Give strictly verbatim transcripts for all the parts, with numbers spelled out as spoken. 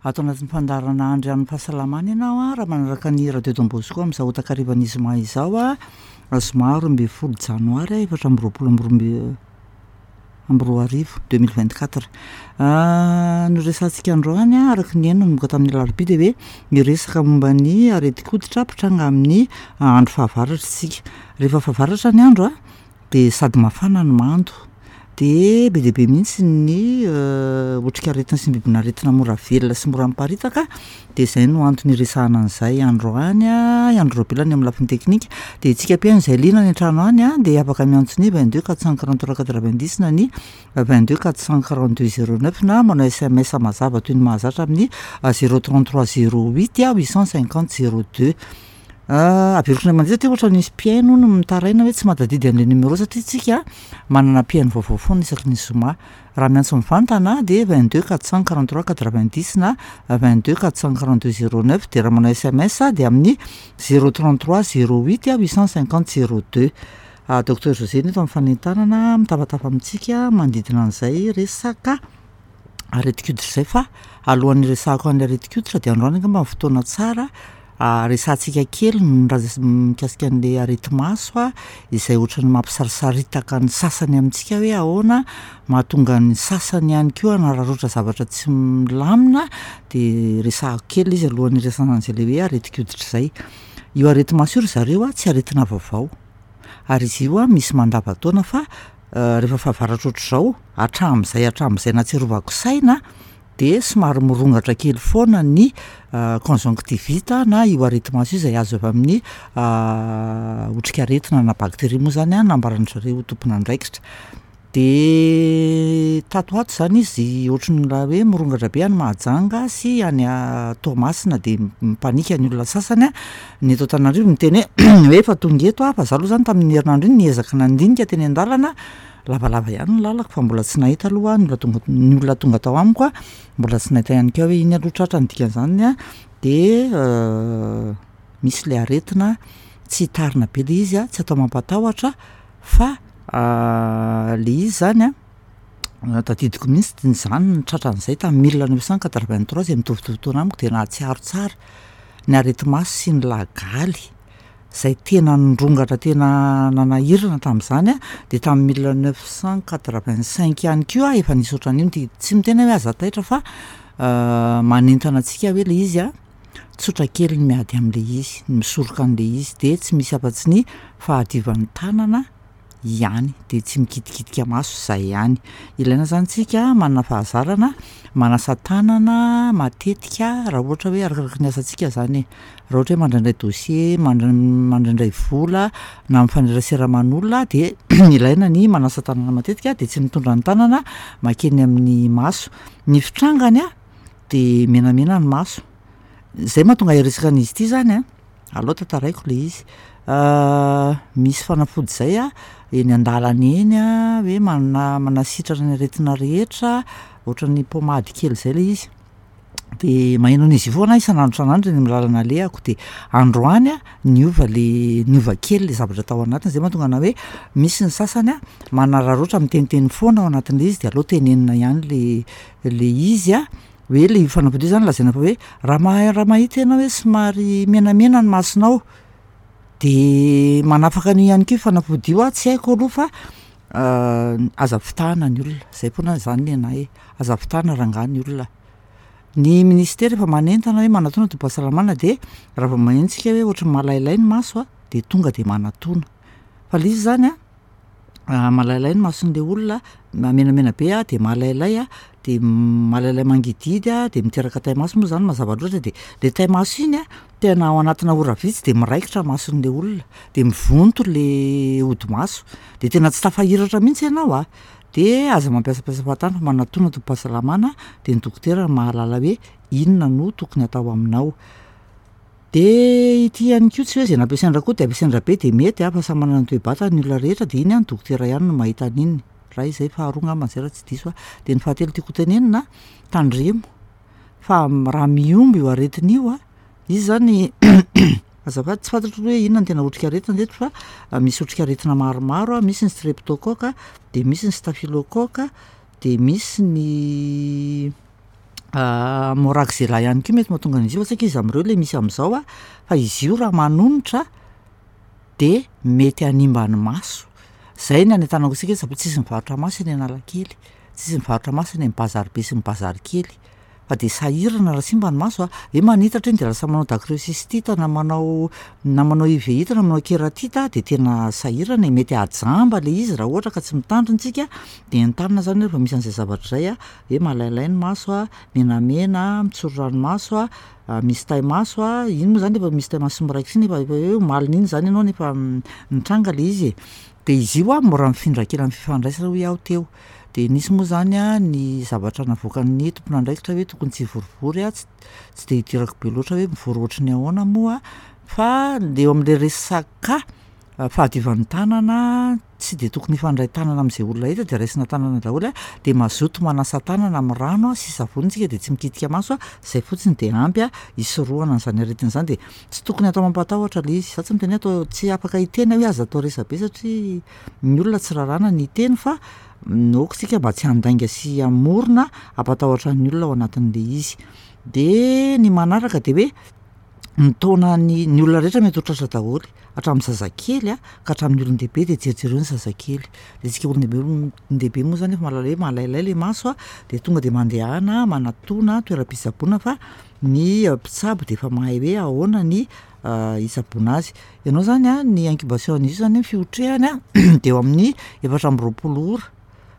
Ato anatin'ny fandaharana Andrianin'ny fahasalamana ianao a, raha manaraka ny Radio Don Bosco amin'izao takarivan'ny zoma izao a, zoma roa ambin'ny folo janoary efatra amby roapolo amby roa amby amby roa arivo deux mille vingt quatre. No resahantsika androany a, araka ny heno nanomboka tamin'ny alarobia dia hoe miresaka momba ny aretin-koditra mpitranga amin'ny andro fahavaratra isika. Rehefa fahavaratra ny andro a, de sady mafana no mando, de be dia be mihitsy ny otrikaretina sy ny bibin'aretina mora velona sy mora miparitaka de zay no antony iresahana an'izay androany a, i Andry Raobelina ny amin'ny lafiny teknika, de isika mpihaino izay liana any an-trano any a de afaka miantso ny vingt deux quatre cent quarante trois quatre vingt dix na ny vingt deux quatre cent quarante deux zéro neuf na manao S M S mazava toy ny mahazatra amin'ny zéro trente trois zéro huit a huit cent cinquante zéro deux. Averiko indray mandeha satria ohatra nisy mpihaino hono mitaraina hoe tsy mahatadidy an'le numéro satria tsika manana mpihaino vaovao foana isaky ny zoma. Raha miantso mivantana de vingt deux quatre cent quarante trois quatre vingt dix na vingt deux quatre cent quarante deux zéro neuf, de raha manao S M S de amin'ny zéro trente trois zéro huit huit cent cinquante zéro deux. Docteur José no eto amin'ny fanentanana mitafatafa amintsika manodidina an'izay resaka aretin-koditra zay, fa alohan'ny resahako an'le aretin-koditra de androany angamba ny fotoana tsara resahantsika kely ny raha mikasika an'le areti-maso a, izay ohatran'ny mampisarisaritaka ny sasany amintsika hoe ahoana mahatonga ny sasany ihany koa hanararaotra zavatra tsy milamina, de resahako kely izy alohan'ny iresahana an'izay le hoe aretin-koditra zay. Io areti-maso io ry zareo a tsy aretina vaovao ary izy io a misy mandavan-taona, fa rehefa fahavaratra ohatr'izao hatramin'izay hatramin'izay nahatsiarovako saina de somary mirongatra kely foana ny conjonctivite na io areti-maso io izay azo avy amin'ny otrikaretina na bakteria moa zany a nambaran-dry zareo tompon'andraikitra. De tato ho ato zany izy ohatran'ny raha hoe mirongatra be any Mahajanga sy any Toamasina, de mipanika ny olona sasany a, ny eto Antananarivo miteny hoe hoe efa tonga eto a, fa za aloha zany tamin'ny herinandro iny niezaka nandinika teny an-dalana, lavalava ihany ny lalako fa mbola tsy nahita aloha ny olona tonga ny olona tonga tao amiko a, mbola tsy nahita ihany koa hoe iny aloha tratra. Ny dikan'izany a de misy le aretina, tsy hitarina be le izy a, tsy atao mampatahotra fa le izy zany a tadidiko mihitsy zany ny tratran'izay tamin'ny mille neuf cent quatre vingt trois zay mitovitovy taona amiko de nahatsiaro tsara ny areti-maso sy ny lagaly zay tena nirongatra tena nanahirana tamin'izany a. De tamin'ny mille neuf cent quatre vingt cinq ihany koa efa nisy ohatran'io de tsy miteny hoe aza taitra fa manentana antsika hoe le izy a tsotra kely ny miady am'le izy, ny misoroka an'le izy de tsy misy afa-tsy ny fahadiovan'ny tanana ihany, de tsy mikitikitika maso zay ihany. Ilaina zany tsika manana fahazarana manasa tanana matetika raha ohatra hoe arakaraky ny asantsika zany e, raha ohatra hoe mandraindray dossier, mandr- mandraindray vola na mifanerasera aman'olona de ilaina ny manasa tanana matetika, de tsy mitondra ny tanana mankeny amin'ny maso. Ny fitrangany a de menamena ny maso, zay mahatonga hiresaka an'izy ity zany a, aleo tantaraiko le izy. Misy fanafody zay a eny an-dàlana eny a hoe mana- manasitrana ny aretina rehetra, ohatran'ny pommade kely zay le izy, de maheno an'izy io foana aho isan'andro isan'andro eny am'làlana alehako, de androany a niova le niova kely le zavatra tao anatiny, zay mahatonga anahy hoe misy ny sasany a manararaotra miteniteny foana ao anatin'le izy, de aleo tenenina ihany le le izy a hoe le io fanafody io zany lazaina fa hoe raha ma- raha mahita ianao hoe somary menamena ny masonao de manafaka an'io ihany koa io fanafody io a, tsy haiko aloha fa aza fitahana ny olona, zay foana zany ny anahy e, aza fitahana rangahy ny olona. Ny ministera efa manentana hoe manatòna tobim-pahasalamana, de raha vao maheno tsika hoe ohatry ny malailay ny maso a de tonga de manatòna, fa le izy zany a malailay ny mason'le olona na menamena be a de malailay a de malailay mangidihidy a de miteraka taimaso moa zany mazava loatra, de le taimaso iny a tena ao anatina ora vitsy de miraikitra mason'le olona de mivonto le hodi-maso de tena tsy tafahiratra mihitsy ianao a, de aza mampiasampiasa fahatany fa manatòna tobim-pahasalamana de ny dokotera no mahalala hoe inona no tokony atao aminao. De ity ihany koa tsy hoe zay nampiasain-dRakoto de ampiasain-dRabe de mety a, fa samy manana ny toe-batany ny olona rehetra de iny a ny dokotera ihany no mahita an'iny, ray zay faharoa angambany zay raha tsy diso aho. De ny fahatelo tiako ho tenenina, tandremo fa m- raha mihombo io aretina io a, izy zany azafady, tsy fantatro hoe inona ny tena otrikaretina teto fa misy otrikaretina maromaro a: misy ny streptocoque, de misy ny staphylocoque, de misy ny Moraxella ihany koa mety mahatonga an'izy io fa saika iza am'reo le misy am'zao a, fa izy io raha manonitra de mety hanimba ny maso, zay ny anentanako antsika hoe tsaboy tsisy mivarotra maso eny Analakely, tsisy mivarotra maso eny am'bazary be sy ny bazary kely fa de sahirana raha simba ny maso a, hoe manitatra iny de lasa manao dacryocystite na manao na manao uvéite na manao kératite de tena sahirana e, mety hahajamba le izy raha ohatra ka tsy mitandrina isika de entanina zany hoe rehefa misy an'zay zavatra zay a hoe malailay ny maso a, menamena, mitsoro ranomaso a, misy taimaso a, iny moa zany efa misy taimaso sy miraikitra iny efa efa hoe omalin'iny zany ianao no efa nitranga le izy e. De izy io a mora mifindra kely am'fifandraisana hoy aho teo, de nisy moa zany a ny zavatra navoakan'ny tompon'andraikitra hoe tokony tsy hivorivory a, ts- tsy de idirako be loatra hoe mivory ohatry ny ahoana moa fa le eo am'le resaka fahadiovan'ny tànana, tsy de tokony hifandray tànana am'zay olona hita de raisina tànana daholo a, de mazoto manasa tànana am'rano a sy savony tsika de tsy mikitika maso a, zay fotsiny de ampy a hisorohana an'zany aretina zany de tsy tokony atao mampatahotra le izy, za tsy miteny hoe atao tsy afaka hiteny aho hoe aza atao resa-be satria ny olona tsy raràna ny hiteny fa n- aoka isika mba tsy handainga sy hamorona hampatahotra ny olona ao anatin'le izy. De ny manaraka de hoe ny taonan'ny ny olona rehetra mety ho tratra daholo, hatramin'ny zazakely a ka hatramin'ny olon-dehibe de jerijereo ny zazakely, de tsika olon-dehibe m- olon-dehibe moa zany efa mahalala hoe malailay le maso a de tonga de mandehana manatòna toeram-pitsaboana fa ny mpitsabo de efa mahay hoe ahoana ny hitsaboana azy. Ianao zany a ny incubation an'izy io zany fiotrehany a de eo amin'ny efatra amby roapolo ora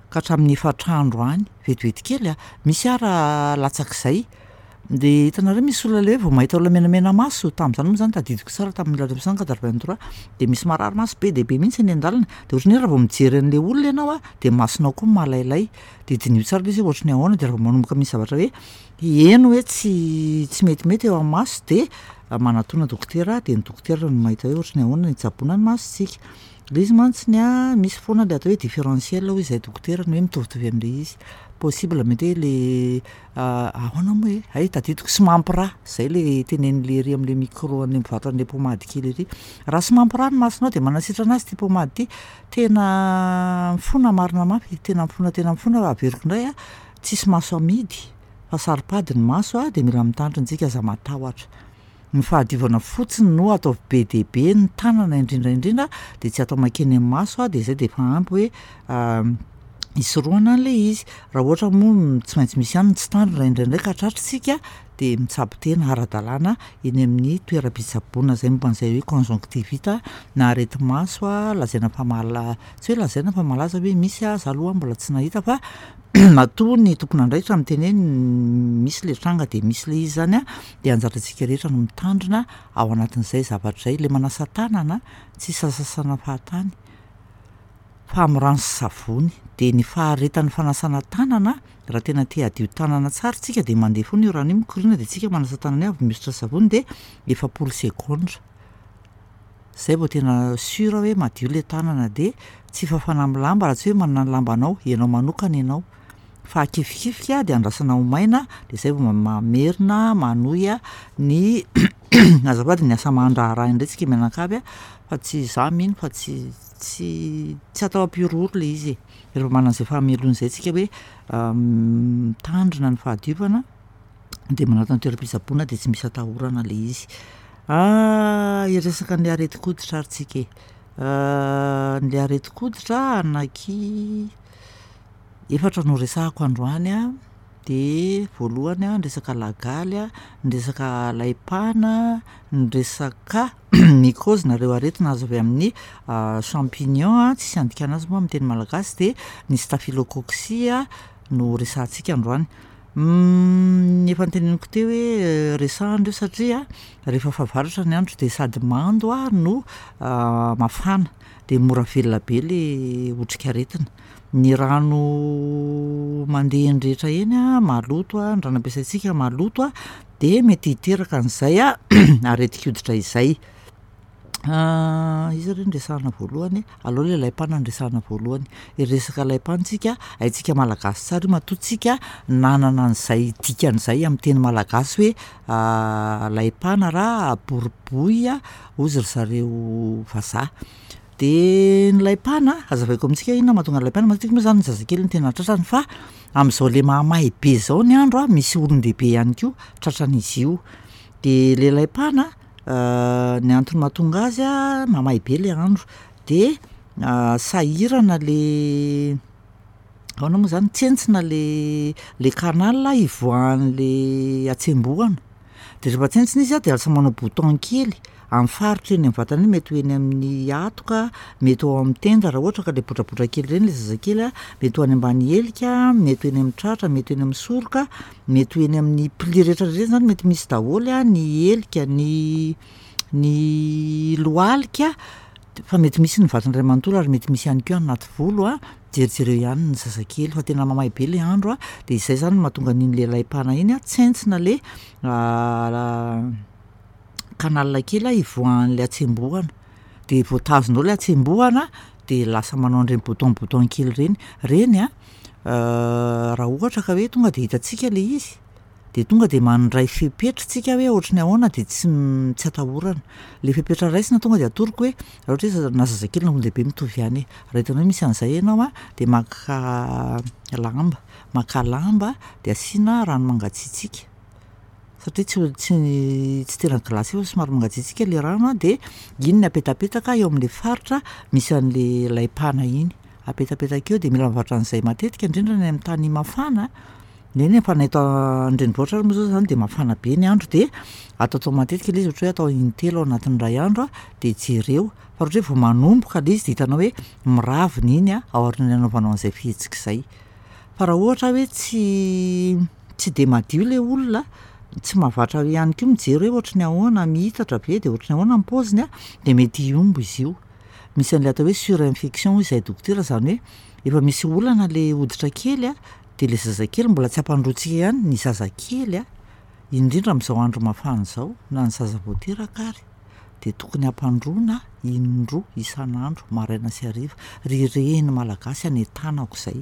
ka hatramin'ny efatra andro any, vetivety kely a, misy ara latsak'izay. De hitanareo misy olona le hoe vao mahita olona menamena maso, tam'zany moa zany tadidiko tsara tamin'ny mille neuf cent quatre-vingt-trois de misy marary maso be dia be mihitsy eny an-dàlana de ohatran'ny hoe raha vao mijery an'le olona ianao a de masonao koa malailay, de diniho tsara le izy hoe ohatry ny ahoana de raha vao manomboka misy zavatra hoe heno hoe tsy tsy metimety eo am'maso de manatòna dokotera de ny dokotera no mahita hoe ohatry ny ahoana ny hitsaboana ny masontsika. Le izy mantsiny a misy foana le atao hoe différentiel hoy izahay dokotera ny hoe mitovitovy am'le izy, possible mety hoe le ahoana moa e, hay tadidiko sy mampy rà, zay le tenenin'le ery am'le micro an'le mivarotra an'le pommade kely ery, raha sy mampy rà ny masonao de manasitrana azy ty pommade ty, tena mifona marina mafy, tena mifona tena mifona fa averiko indray a, tsisy maso amidy fa saro-pady ny maso a de mila mitandrina tsika, aza matahotra. Ny fahadiovana fotsiny no ataovy be dia be, ny tànana indrindraindrindra de tsy atao mankeny am'maso a de zay de efa ampy hoe hisorohana an'le izy. Raha ohatra moa m- tsy maintsy misy ihany ny tsy tandrina indraindray ka tratra isika de mitsabo tena ara-dalàna eny amin'ny toeram-pitsaboana zay momba an'zay hoe conjonctivite na areti-maso a lazaina fa mala- tsy hoe lazaina fa malaza hoe misy a, za aloha mbola tsy nahita fa matoa ny tompon'andraikitra miteny hoe misy le tranga de misy le izy zany a de anjarantsika rehetra no mitandrina ao anatin'izay zavatra zay. Le manasa tànana tsy sasasasana fahatany fa am'rano sy savony de ny faharetan'ny fanasana tànana raha tena te hadio tànana tsara tsika de mandeha foana io rano io mikoriana de tsika manasa tànana eo avy mihosotra savony de efapolo segondra, zay vao tena sûr hoe madio le tànana de tsy fafana am'lamba raha tsy hoe manana ny lambanao ianao manokana ianao fa akifikifika de andrasana ho maina de zay vao ma- mamerina manohy a ny azafady ny asa aman-draharaha indray tsika mianakavy a fa tsy za mino fa tsy tsy tsy atao hampihorohoro le izy e, rehefa manana an'zay fahamelona zay tsika hoe mitandrina ny fahadiovana de manatona toeram-pitsaboana de tsy misy atahorana le izy. Hiresaka an'le aretin-koditra ary tsika e, le aretin-koditra anaky efatra no resahako androany a, de voalohany a ny resaka lagaly a, ny resaka laim-pana, ny resaka mycose na ireo aretina azo avy amin'ny champignon a tsisy andikana azy moa am'teny malagasy de ny staphylocoque no resahantsika androany. Efa noteneniko teo hoe resahana ireo satria rehefa fahavaratra ny andro de sady mando a no mafana de mora velona be le otrikaretina. Ny rano mandeha eny rehetra eny a maloto a, ny rano ampiasaintsika maloto a de mety hiteraka an'izay a aretin-koditra izay. Iza re no resahana voalohany? Aleo le laim-pana no resahana voalohany. Hiresaka laim-pana tsika, haintsika malagasy tsara io matoa tsika nanana an'zay dikan'izay am'teny malagasy hoe laim-pana raha boroboy hozy ry zareo vazaha. De ny laim-pana, hazavaiko amintsika hoe inona mahatonga ny laim-pana, matetika moa zany ny zazakely no tena tratrany fa Am'zao le mahamay be zao ny andro a, misy olon-dehibe ihany koa tratran'izy io. De le laim-pana ny antony mahatonga azy a, mamay be le andro de sahirana le ahoana moa zany? Tsentsina le le canal ivoahan'le hatsembohana de rehefa tsentsina izy a de lasa manao bouton kely am'faritra eny am'vatana eny, mety ho eny amin'ny hatoka, mety ho ao am'tenda raha ohatra ka le botrabotra kely reny le zazakely a, mety ho any ambany helika, mety ho eny am'tratra, mety ho eny am'soroka, mety ho eny amin'ny pli rehetrarehetra zany mety misy daholo a, ny helika, ny ny lohalika d- fa mety misy ny vatana iray manontolo ary mety misy ihany koa any anaty volo a, jerijereo ihany ny zazakely fa tena mamay be le andro a de izay zany no mahatonga an'iny le laim-pana iny a, tsentsina le canal kely a ivoahan'le hatsembohana de voatazona ao le hatsembohana de lasa manao an'ireny bouton bouton kely ireny. Reny a raha ohatra ka hoe tonga de hitantsika le izy de tonga de mandray fepetra tsika hoe ohatry ny ahoana de tsy m- tsy atahorana. Le fepetra raisina tonga de atoroko hoe raha ohatra hoe zaza- na zazakely na olon-dehibe mitovy ihany e, raha hitanao hoe misy an'zay ianao a de makà lamba, makà lamba de asiana rano mangatsiatsiaka satria tsy ho- tsy tsy tena glacé fa somary mangatsiatsiaka le rano a de iny no apetapetaka eo am'le faritra misy an'le laim-pana iny, apetapetaka eo de mila mivatra an'zay matetika indrindra ny am'tany mafana, eny e fa na eto an-drenivohitra ary moa zao zany de mafana be ny andro de ataotao matetika le izy ohatra hoe atao intelo ao anatin'ny ray andro a de jereo fa raha ohatra hoe vao manomboka le izy de hitanao hoe miravina iny a aorian'ny anaovanao an'zay fihetsika izay. Fa raha ohatra hoe tsy tsy de madio le olona, tsy mahavatra ihany koa mijery hoe ohatry ny ahoana, mihitatra ve de ohatry ny ahoana ny paoziny a de mety hihombo izy io. Misy an'lay atao hoe surinfection hoy izahay dokotera zany hoe efa misy olana le hoditra kely a de le zazakely mbola tsy ampandrointsika ihany, ny zazakely a, indrindra am'zao andro mafana zao na ny zaza vao teraka ary de tokony ampandroina indroa isan'andro, maraina sy hariva. Ry reny malagasy anentanako izay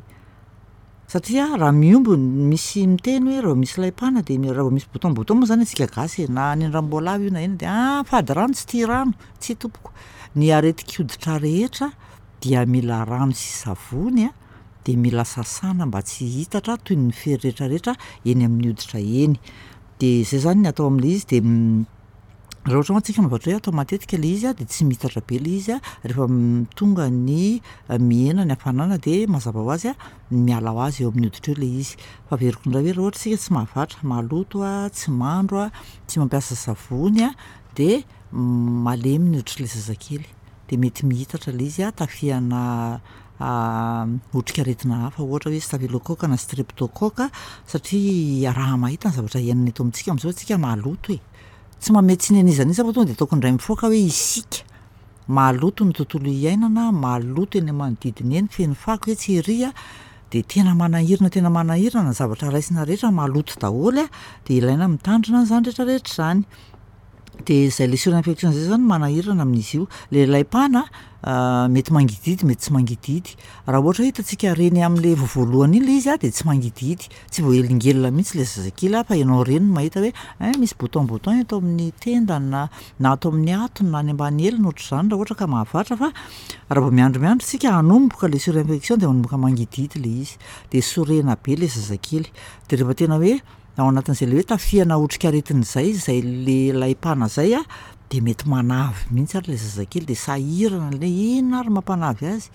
satria raha mihombo n- misy miteny hoe raha vao misy laim-pana de mi- raha vao misy bouton bouton moa zany antsika gasy e, na nendranom-boalavo io na inona de ah! Fady rano tsy tia rano. Tsia tompoko, ny aretin-koditra rehetra dia mila rano sy savony a de mila sasana mba tsy hihitatra toy ny fery rehetrarehetra eny amin'ny hoditra eny. De zay zany ny atao am'le izy de raha ohatra mantsy tsika mahavatra hoe atao matetika le izy a de tsy mihitatra be le izy a rehefa m- tonga ny mihena ny hafanana de mazava ho azy a miala ho azy eo amin'ny hoditra eo le izy. Fa averiko indray hoe raha ohatra isika tsy mahavatra, maloto a, tsy mandro a, tsy mampiasa savony a de malemy ny hoditr'le zazakely de mety mihitatra le izy a, tafihana otrikaretina hafa ohatra hoe staphylocoque na streptocoque satria iaraha-mahita ny zavatra iainana eto amintsika am'zao tsika maloto e, tsy manome tsiny an'iza n'iza aho fa tonga de ataoko indray mifaoka hoe isika, maloto ny tontolo iainana, maloto eny am'manodidina eny, feno fako etsy ery a, de tena manahirana tena manahirana ny zavatra raisina rehetra maloto daholo a de ilaina mitandrina an'zany rehetrarehetra zany. De zay le surinfection zay zany manahirana amin'izy io. Le laim-pana mety mangidihidy mety tsy mangidihidy, raha ohatra hoe hitantsika reny am'le vao voalohany iny le izy a de tsy mangidihidy, tsy voahelingelina mihitsy le zazakely a fa ianao reny no mahita hoe ein misy bouton bouton eto amin'ny tendany na na ato amin'ny hatony na any ambany heliny, ohatr'izany raha ohatra ka mahavatra fa raha vao miandry miandry tsika hanomboka le surinfection de manomboka mangidihidy le izy de sorena be le zazakely de rehefa tena hoe ao anatin'zay le hoe tafihana otrikaretina zay zay le laim-pana zay a de mety manavy mihitsy ary le zazakely de sahirana le inona ary mampanavy azy?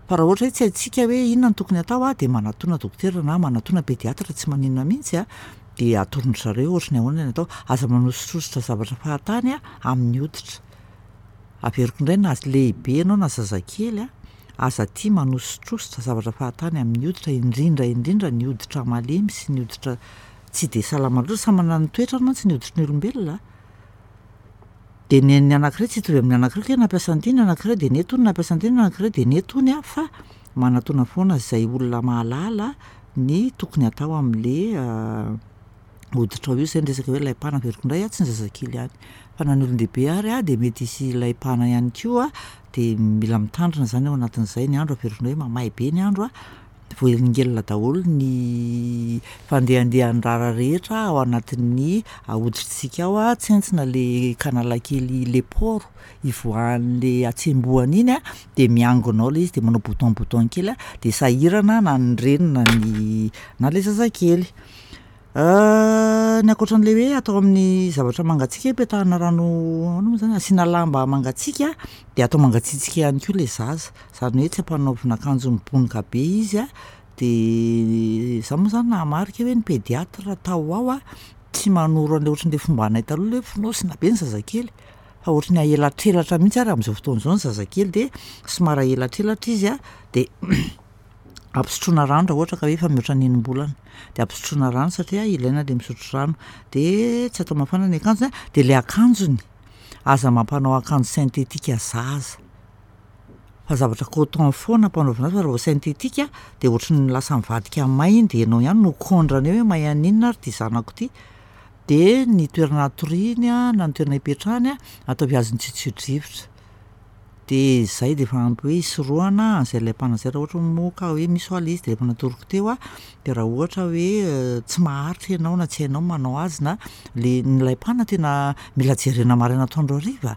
Fa raha ohatra hoe tsy haintsika hoe inona no tokony hatao a de manatòna dokotera na manatòna pédiatre tsy maninona mihitsy a, de atoron-dry zareo ohatry ny ahoana ny atao. Aza manosotrosotra zavatra fahatany a amin'ny hoditra, averiko indray na z- lehibe ianao na zazakely a, aza tia manosotrosotra zavatra fahatany amin'ny hoditra indrindra indrindra ny hoditra malemy sy ny hoditra tsy de salama loatra, samy manana ny toetrany mantsy ny hoditry ny olombelona. De ny an'ny anankiray tsy hitovy amin'ny anankiray kay nampiasa an'ity ny anankiray de nety hono, nampiasa an'ity ny anankiray de nety hony a fa manatòna foana zay olona mahalala ny tokony hatao am'le hoditrao io. Zay ny resaka hoe laim-pana, averiko indray a tsy ny zazakely ihany fa na ny olon-dehibe ary a de mety hisy laim-pana ihany koa de mila mitandrina zany ao anatin'izay. Ny andro averiko indray hoe mamay be ny andro a, Voahelingelina daholo ny fandehandehan'ny rara rehetra ao anatin'ny hoditritsika ao a, tsentsina le canal kely, le pore ivoahan'le hatsembohana iny a, de miangona ao le izy de manao bouton bouton kely a, de sahirana na ny reny na ny na le zazakely. Ny ankoatran'le hoe atao amin'ny zavatra mangatsiaka, petahana rano ahoana moa zany, asiana lamba mangatsiaka de atao mangatsiatsiaka ihany koa le zaza, zany hoe tsy ampanaovina akanjo mibonoka be izy a, de za moa zany nahamarika hoe ny pédiatre tao ho ao a, tsy manoro an'le ohatran'le fombanay taloha le hoe fonosina be ny zazakely fa ohatry ny ahelatrelatra mihitsy ary am'zao fotoana izao ny zazakely de somary ahelatrelatra izy a de ampisotroina rano raha ohatra ka hoe efa mihoatra ny enim-bolana, de ampisotroina rano satria ilaina le misotro rano, de tsy atao mafana ny akanjony a, de le akanjony, aza mampanao akanjo sentetika zaza fa zavatra coton foana ampanaovina azy fa raha vao sentetika de ohatry ny lasa mivadika may iny de ianao ihany no kôndrana eo hoe may haninona ary ty zanako ty. De ny toerana atoriany a na ny toerana ipetrahany a, ataovy azon'ny tsiotsiotrivotra. De zay de efa ampy hoe hisorohana an'zay laim-pana zay raha ohatra moa ka hoe misy hoa le izy de efa natoroko teo a, de raha ohatra hoe tsy maharitra ianao na tsy hainao ny manao azy na le ny laim-pana tena mila jerena maraina atoandro hariva,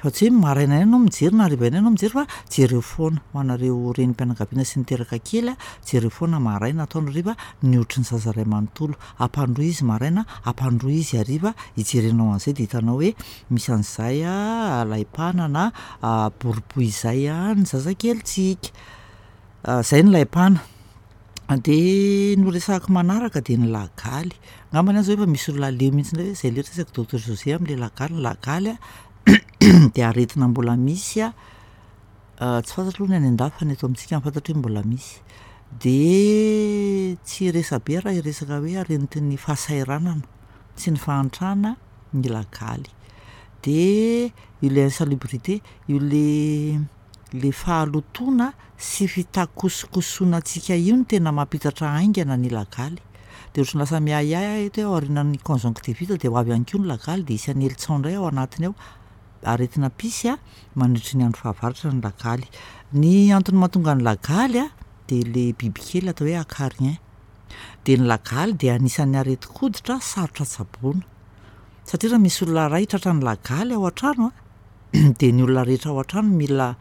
fa tsy hoe maraina ihany ianao mijery na hariva ihany ianao mijery fa jereo foana. Ho anareo renim-pianakaviana sy niteraka kely a, jereo foana maraina atoandro hariva ny hoditry ny zaza ray manontolo. Ampandroy izy maraina, ampandroy izy hariva, ijerenao an'zay de hitanao hoe misy an'zay a laim-pana na boribohy zay a ny zazakelintsika. Zay ny laim-pana. De ny ho resahako manaraka de ny lagaly, angambany aho zao efa misy olona leo mihitsy indray hoe zay letsy resak'i docteur José am'le lagaly. Ny lagaly a de aretina mbola misy a, tsy fantatro aloha ny any an-dafy fa ny eto amintsika no fantatro hoe mbola misy. De tsy hiresabe aho raha hiresaka hoe aretin'ny fahasahiranana sy ny fahantrana ny lagaly. De ilay insalubrité, io le le fahalotoana sy fitakosokosonantsika io no tena mampitatra haingana ny lagaly. De ohatry ny lasa miahiahy aho eto hoe aorianan'ny conjonctivite de ho avy ihany koa ny lagaly de hisy hanely tsaho indray ao anatiny ao. Aretina mpisy a mandritry ny andro fahavaratra ny lagaly. Ny antony mahatonga ny lagaly a de le bibikely atao hoe acarien. De ny lagaly de anisan'ny aretin-koditra sarotra tsaboina satria raha misy olona ray tratran'ny lagaly ao an-trano a de ny olona rehetra ao an-trano mila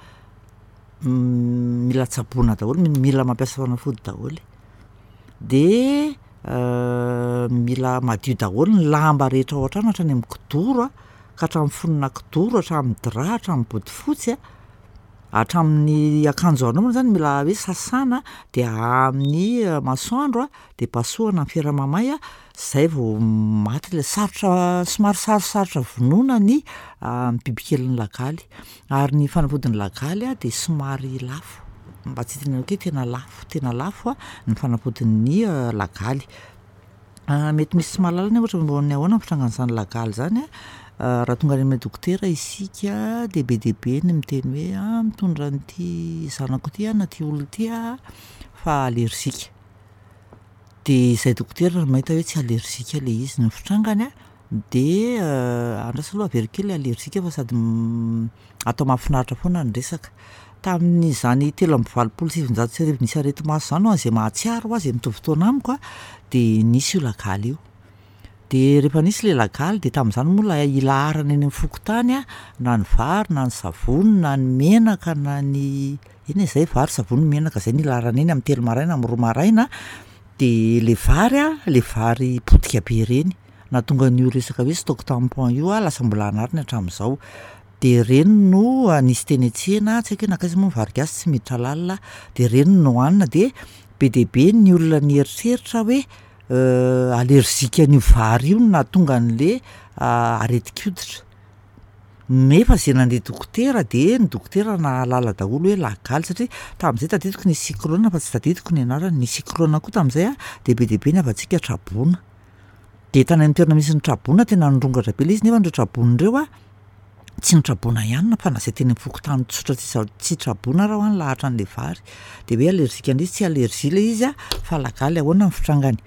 mila tsaboina daholo, mi- mila mampiasa fanafody daholo. De mila madio daholo ny lamba rehetra ao an-trano hatrany am'kidoro a ka hatramin'ny fonona kidoro, hatramin'ny drap, hatramin'ny bodofotsy a, hatramin'ny akanjo anaovana zany mila hoe sasana de ahaha amin'ny masoandro a de pasohana am'fera mamay a, zay vao maty le sarotra somary sarosarotra vonoina ny bibikelin'ny lagaly ary ny fanafodin'ny lagaly a de somary lafo, mba tsy hitenenako hoe tena lafo, tena lafo a ny fanafodin'ny lagaly. Mety misy tsy mahalala anie ohatra momba ny ahoana ny fitrangan'zany lagaly zany a, raha tonga any amin'ny dokotera isika de be dia be ny miteny hoe ah, mitondra an'ity zanako ity aho na ty olona ity aho fa alerzika. De izahay dokotera no mahita hoe tsy alerzika le izy, ny fitrangany a de andraso aloha averiko kely le alerzika fa sady atao mahafinaritra foana ny resaka. Tamin'izany telo amby valopolo sy sivinjato sy arivo nisy areti-maso zany ho an'zay mahatsiaro hoa zay mitovy taona amiko a, de nisy io lagaly io. De rehefa nisy le lagaly de tamin'izany moa lay ilaharana eny am'fokontany a, na ny vary na ny savony na ny menaka na ny eny e zay vary, savony, menaka, zay no ilaharana eny am'telo maraina am'roa maraina. De le vary a, le vary potika be reny, nahatonga an'io resaka hoe stock tampon io a lasa mbola anariny hatramin'izao. De reny no nisy teny an-tsena, tsy haiko hoe nankaiza moa ny vary gasy tsy miditra lalina aho, de reny no nohanina de be dia be ny olona nieritreritra hoe alerzika an'io vary io no nahatonga an'le aretin-koditra, nefa zay nandeha dokotera de ny dokotera nahalala daholo hoe lagaly satria tam'zay tadidiko nisy cyclone fa tsy tadidiko ny anarany, nisy cyclone koa tam'zay a de be dia be ny havantsika traboina. De tany am'toerana misy ny traboina tena nirongatra be le izy nefa reo traboina reo a tsy ny traboina ihany fa na zay teny am'fokontany tsotra tsy za- tsy traboina ara hoa nilahatra an'le vary. De hoe alerzika an'le izy, tsy alerzia le izy a fa lagaly. Ahoana ny fitrangany?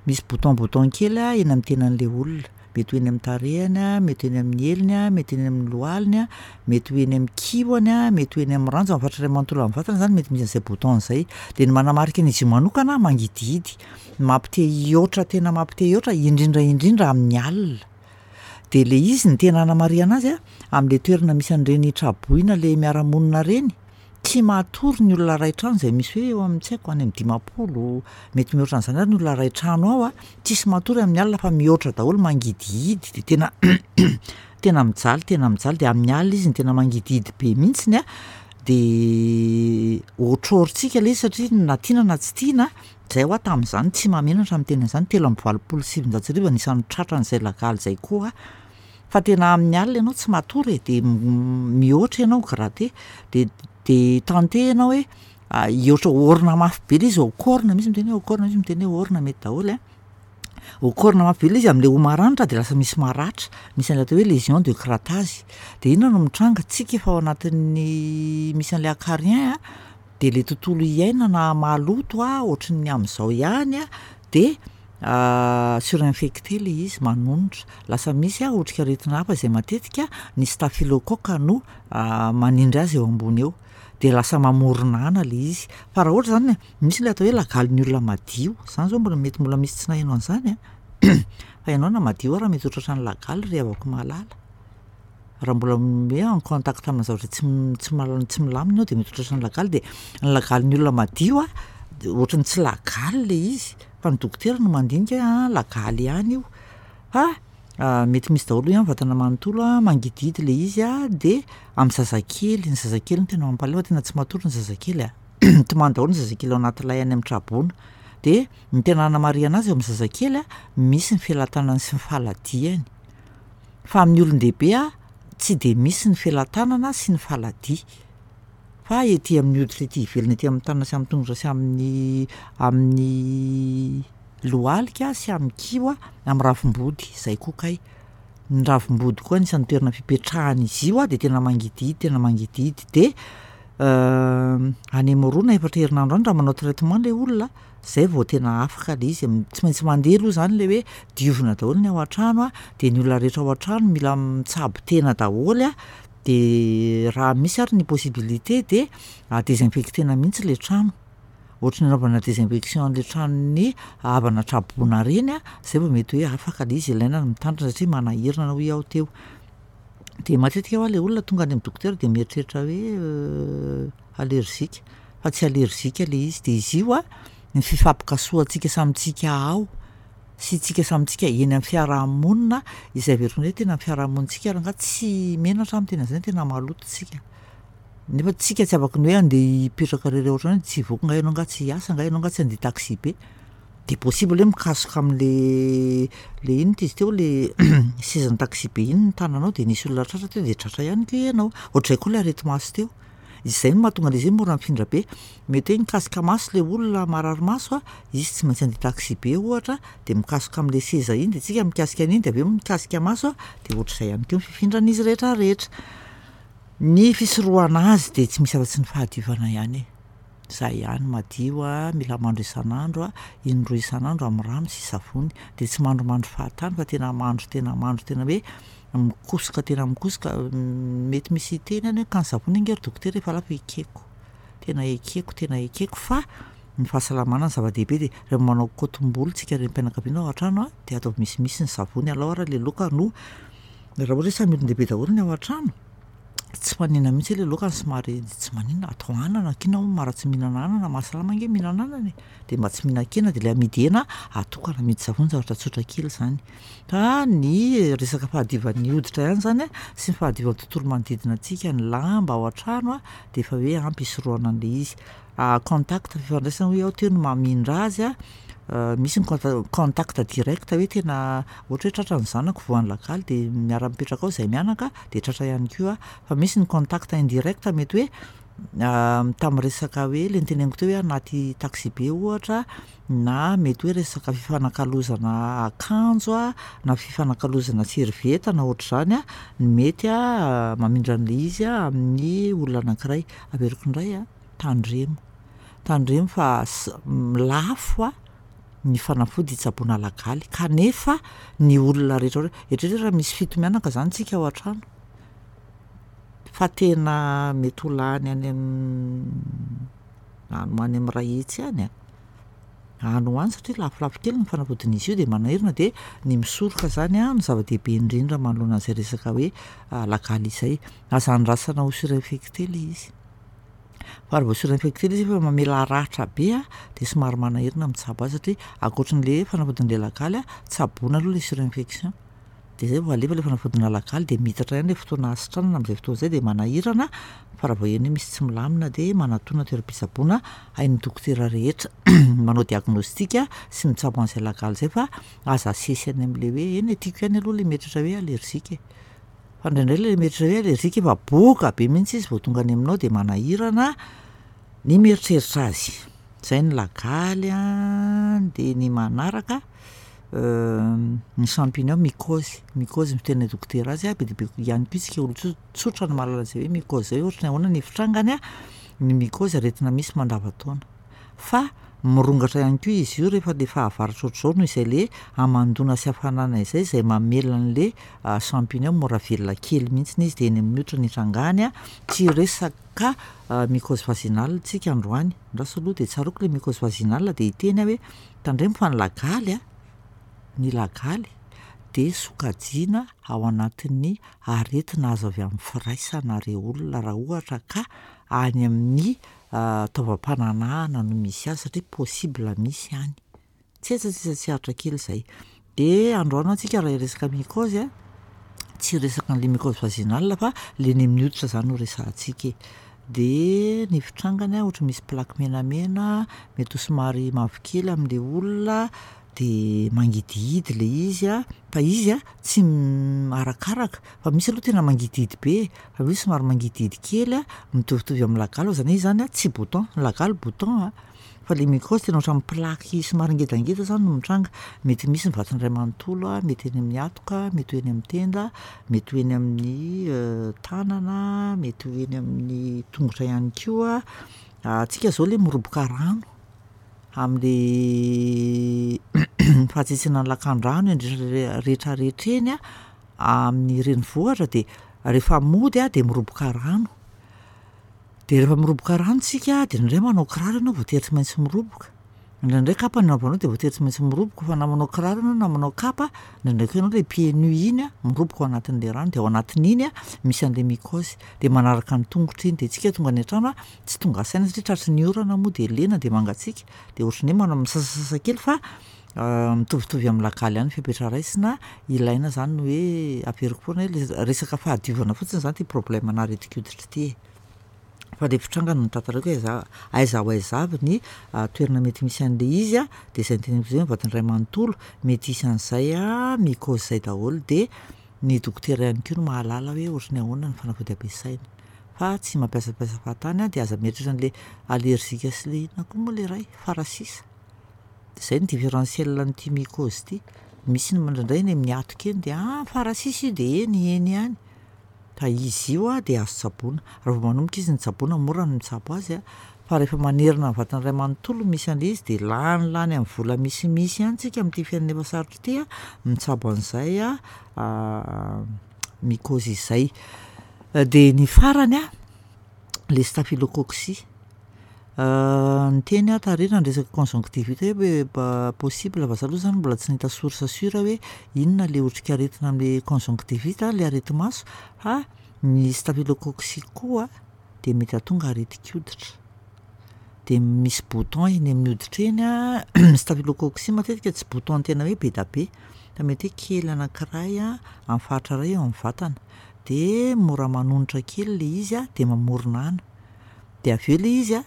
Misy bouton bouton kely a eny am'tenan'le olona, Mety ho eny am'tarehiny a, mety ho eny amin'ny heliny a, mety eny amin'ny lohaliny a, mety ho eny am'kihoany a, mety ho eny am'ranjo, am'faritra iray manontolo am'vatana zany mety misy an'zay bouton zay. De ny manamarika an'izy io manokana mangidihidy, mampite hihoatra tena mampite hihoatra indrindra indrindra amin'ny alina. De le izy ny tena anamarihana azy a, am'le toerana misy an'ireny traboina le miara-monina reny, tsy matory ny olona ray trano zay misy hoe eo am'tsy haiko any am'dimampolo, mety mihoatra an'zany ary ny olona ray trano ao a, tsisy matory amin'ny alina fa mihoatra daholo mangidihidy de tena tena mijaly tena mijaly de amin'ny alina izy no tena mangidihidy be mihitsiny a, de ôtrôrintsika le izy satria na tiana na tsy tiana, zay hoa tam'zany tsy mahamenatra miteny an'zany telo amby valopolo sy sivinjato sy arivo anisan'ny tratran'zay lagaly zay koa aho, fa tena amin'ny alina ianao tsy matory e de m- mihoatra ianao gratter de de tenter ianao hoe hihoatra ôrina mafy be le izy ôkôrina, misy miteny hoe ôkôrina, misy miteny hoe ôrina mety daholo a. Ôkôrina mafy be le izy am'le hoho maranitra de lasa misy maratra, misy an'le atao hoe lésion de grattage. De inona no mitranga? Tsika efa ao anatin'ny misy an'le acarien a, de le tontolo iainana maloto a ohatran'ny am'zao ihany a de surinfecté le izy manonitra, lasa misy a otrikaretina hafa zay matetika ny staphylocoque no manindry azy eo ambony eo, de lasa mamorona ana le izy. Fa raha ohatra zany misy le atao hoe lagalin'ny olona madio, zany zao mbola mety mbola misy tsy naheno an'zany a fa ianao na madio ara mety ho tratran'ny lagaly ry havako malala, raha mbola m- hoe en contact aminà zavatra tsy m- tsy mal- tsy milamina ianao de mety ho tratran'ny lagaly de ny lagalin'ny olona madio a de ohatran'ny tsy lagaly le izy fa ny dokotera no mandinika hoe ah lagaly ihany io fa mety misy daholo ihany vatana manontolo a, mangidihidy le izy a de am'zazakely, ny zazakely no tena mampalahelo fa tena tsy matory ny zazakely a, mitomany daholo ny zazakely ao anaty lay any am'traboina. De ny tena anamarihana azy eo am'zazakely a, misy ny felan-tànany sy ny faladiany fa amin'ny olon-dehibe a tsy de misy ny felan-tànana sy ny faladia fa ety amin'ny hoditra ety ivelany ety am'tànana sy am'tongotra sy amin'ny amin'ny lohalika sy am'kiho a, am'ravim-body zay koa kay, ny ravim-body koa anisan'ny toerana fipetrahan'izy io a de tena mangidihidy tena mangidihidy de any am'roa na efatra herinandro any raha manao traitement le olona zay vao tena afaka le izy, tsy maintsy mandeha aloha zany le hoe diovina daholo ny ao an-trano a de ny olona rehetra ao an-trano mila mitsabo tena daholo a de raha misy ary ny possibilité de désinfectena mihitsy le trano, ohatry ny anaovana désinfection an'le tranon'ny havana traboina reny a, zay vao mety hoe afaka le izy, ilaina ny mitandrina satria manahirana hoy aho teo. De matetika hoa le olona tonga any am'dokotera de mieritreritra hoe alerzika fa tsy alerzika le izy de izy io a ny fifampikasohantsika samy tsika ao sy tsika samy tsika eny am'fiarahamonina izay averiko indray tena ny fiarahamonintsika rangahy tsy menatra aho miteny an'zany tena maloto tsika, nefa tsika tsy afaky ny hoe andeha hipetraka irery ao an-trano hoe tsy hivoaka angaha ianao angaha tsy hiasa angaha ianao angaha tsy handeha taxi-be? De possible hoe mikasoka am'le le inona ty izy teo le sezan'ny taxi-be iny ny tananao de nisy olona tratra teo de tratra ihany koa ianao, ohatr'izay koa le areti-maso teo, izay no mahatonga an'izy hoe mora mifindra be, mety hoe nikasika maso le olona marary maso a, izy tsy maintsy andeha taxi-be ohatra de mikasoka am'le seza iny de tsika mikasika an'iny de avy eo mikasika maso a de ohatr'izay ihany koa ny fifindran'izy rehetrarehetra. Ny fisorohana azy de tsy misy afa-tsy ny fahadiovana ihany e, zay ihany, madio a, mila mandro isan'andro a, indroa isan'andro am'rano sy savony de tsy mandromandro fahatany fa tena mandro tena mandro tena hoe mikosoka tena mikosoka mety misy hiteny any hoe ka ny savony ange ry dokotera efa lafo, ekeko, tena ekeko tena ekeko fa ny fahasalamana no zava-dehibe de rehefa manao kôtim-bolo tsika renim-pianakaviana ao an-trano a de ataovy misimisy ny savony, alao ara le laoka no raha ohatra hoe samy olon-dehibe daholo ny ao an-trano, tsy maninona mihitsy hoe le laoka no somary tsy maninona atao anana, k'inona moa maharatsy ny mihinana anana? Mahasalama ange mihinana anana e! De mba tsy mihinan-kena de le amidy hena atokana amidy savony, zavatra tsotra kely zany. Fa ny resaka fahadiovan'ny hoditra ihany zany a sy ny fahadiovan'ny tontolo manodidina antsika, ny lamba ao an-trano a de efa hoe ampy hisorohana an'le izy. Contact fifandraisana hoy aho teo no mamindra azy a, misy ny conta- contact direct hoe tena ohatra hoe tratra ny zanako voan'ny lagaly de miara-mipetraka ao zahay mianaka de tratra ihany koa aho, fa misy ny contact indirect mety hoe tam'resaka hoe le noteneniko teo hoe anaty taxibe ohatra na mety hoe resaka fifanakalozana akanjo a na fifanakalozana servieta na ohatr'izany a no mety a mamindra an'le izy a amin'ny olona anankiray. Averiko indray a, tandremo, tandremo fa s- lafo a ny fanafody hitsaboana lagaly kanefa ny olona rehetra re- eritrereto raha misy fito mianaka zany tsika ao an-trano fa tena mety ho lany any am- any ho any am'ray hetsy any a, any ho any satria lafolafo kely ny fanafodin'izy io de manahirana de ny misoroka zany a no zava-dehibe indrindra manoloana an'zay resaka hoe lagaly izay. Aza andrasana ho surinfecté le izy fa raha vao surinfecté le izy efa mamela ratra be a de somary manahirana mitsabo azy satria ankoatran'le fanafodin'le lagaly a, tsaboina aloha le surinfection de zay vao alefa le fanafodinà lagaly de miitatra ihany le fotoana ahasitranana am'zay fotoana zay de manahirana fa raha vao heno hoe misy tsy milamina de manatòna toeram-pitsaboana hain'ny dokotera rehetra manao diagnostic sy mitsabo an'zay lagaly zay fa aza asesy any am'le hoe eny e, tiako ihany aloha le mieritreritra hoe alerzika e, fa indraindray le mieritreritra hoe alerzika efa boka be mihitsy izy vao tonga any aminao de manahirana ny mieritreritra azy. Zay ny lagaly a, de ny manaraka ny champignon mycose, mycose ny fiteninay dokotera azy a, be dia be ihany koa isika olon-tso- tsotra no mahalala an'zay hoe mycose zay hoe ohatry ny ahoana ny fitrangany a, ny mycose aretina misy mandavan-taona fa mirongatra ihany koa izy io rehefa le fahavaratra ohatr'izao noho izay le hamandoana sy hafanana izay zay mamela an'le champignon mora velona kely mihitsiny izy de eny amin'ny hoditra no itrangany a. Tsy hiresaka mycose vaginale tsika androany, andraso aloha de tsaroako le mycose vaginale de hiteny aho hoe tandremo fa ny lagaly a, ny lagaly de sokajiana ao anatin'ny aretina azo avy am'firaisana rey olona raha ohatra ka any amin'ny taovam-pananahana no misy azy satria possible misy any, tsetsatsetsa tsy aritra kely zay. De androany ho'a tsika raha hiresaka mycose a, tsy hiresaka an'le mycose vaginale fa le eny amin'ny hoditra zany no resahantsika e. De ny fitrangany a ohatry misy plaque menamena, mety ho somary mavokely am'le olona de mangidihidy le izy a, fa izy a tsy arakaraka fa misy aloha tena mangidihidy be e, fa misy somary mangidihidy kely a, mitovitovy am'lagaly fa zany hoe izy zany a tsy bouton, ny lagaly bouton a, fa le mycose tena ohatran'ny plaque somary ngedangeda zany no mitranga, mety misy ny vatana iray manontolo a, mety eny amin'ny hatoka, mety ho eny am'tenda, mety ho eny amin'ny tànana, mety ho eny amin'ny tongotra ihany koa. Tsika zao le miroboka rano am'le fahatsetsenan'ny lakan-drano indrindra rehetrarehetra eny a amin'ny renivohitra de rehefa mody a de miroboka rano, de rehefa miroboka rano tsika de indraindray manao kiraro ianao voatery tsy maintsy miroboka, indraindray kapa ny anaovanao de voatery tsy maintsy miroboka fa na manao kiraro ianao na manao kapa, indraindray koa ianao le pieds nus iny a miroboka ao anatin'le rano de ao anatin'iny a misy an'le mycose de manaraka ny tongotra iny de tsika tonga any an-trano a tsy tonga saina satria tratry ny orana moa de lena de mangatsiaka de ohatran'ny hoe manao misasasasa kely fa mitovitovy am'lagaly ihany ny fepetra raisina, ilaina zany ny hoe averiko foana hoe le resaka fahadiovana fotsiny zany ty problemanà aretin-koditra ty e. Fa le fitrangany no tantaraiko hoe aiza aiza ho aiza avy ny toerana mety misy an'le izy a, de zay noteneniko zay ny vatana iray manontolo mety hisy an'zay a mycose zay daholo de ny dokotera ihany koa no mahalala hoe ohatry ny ahoana ny fanafody ampiasaina fa tsy mampiasampiasa fahatany a de aza mieritreritra an'le alerzika sy le inona koa moa le iray farasisa, zay ny différentiel an'ity mycose ty, misy ny indraindray eny amin'ny hatoka eny de ah farasisa io de eny eny ihany, fa izy io a de azo tsaboina, raha vao manomboka izy ny tsaboina mora ny mitsabo azy a, fa rehefa manerana ny vatana iray manontolo no misy an'le izy de lanilany am'vola misimisy ihany tsika am'ty fiainana efa sarotra ity a mitsabo an'zay a mycose izay. De ny farany a, le staphylocoque, niteny aho tary raha niresaka conjonctivite hoe mba possible fa za aloha zany mbola tsy nahita source sûre hoe inona le otrikaretina am'le conjonctivite le areti-maso fa ny staphylocoque koa de mety hahatonga aretin-koditra de misy bouton eny amin'ny hoditra eny a ny staphylocoque matetika tsy bouton tena hoe be da be fa mety hoe kely anankiray a am'faritra iray eo am'vatana de mora manonitra kely le izy a de mamorona ana, de avy eo le izy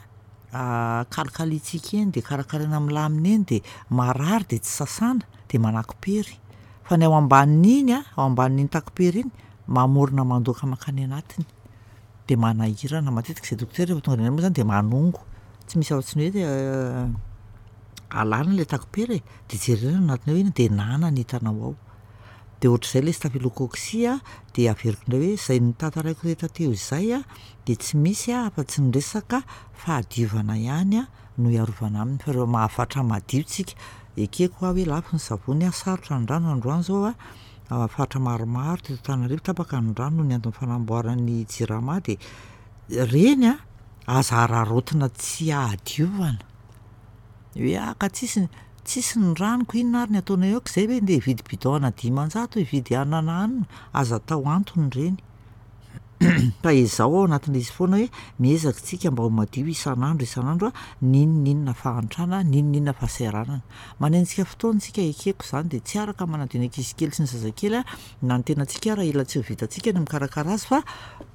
a kalikalintsika eny de karakaraina milamina eny de marary de tsy sasana de manako-pery fa ny ao ambanin'iny a, ao ambanin'iny tako-pery iny mamorona mandoaka mankany anatiny de manahirana. Matetika zahay dokotera rehefa tonga any moa zany de manongo, tsy misy afa-tsy ny hoe alana le tako-pery e de jerena ny anatiny ao inona de nana ny hitanao ao. De ohatr'izay le staphylocoque a, de averiko indray hoe zay notantaraiko rehetra teo izay a de tsy misy a afa-tsy ny resaka fahadiovana ihany a no iarovana aminy fa raha mahavatra madio tsika, Ekeko aho hoe lafo ny savony a, sarotra ny rano androany zao a, faritra maromaro teto Antananarivo tapaka ny rano noho ny antony fanamboaran'ny Jirama de reny a aza araraotina tsy ahadiovana, hoe ah ka tsisy tsisy ny rano ko inona ary ny ataonay ao k'izay ve ndeha hividy bidon ana dimanjato, hividy anona na anona, aza atao antony ireny fa ezaho ao anatin'le izy foana hoe miezaka isika mba ho madio isan'andro isan'andro a, n'inon'inona fahantrana, n'inon'inona fahasahiranana. Manenjika fotoana isika ekeko zany de tsy araka manadio ny ankizy kely sy ny zazakely a, na ny tenantsika ara ela tsy ho vitantsika ny mikarakara azy fa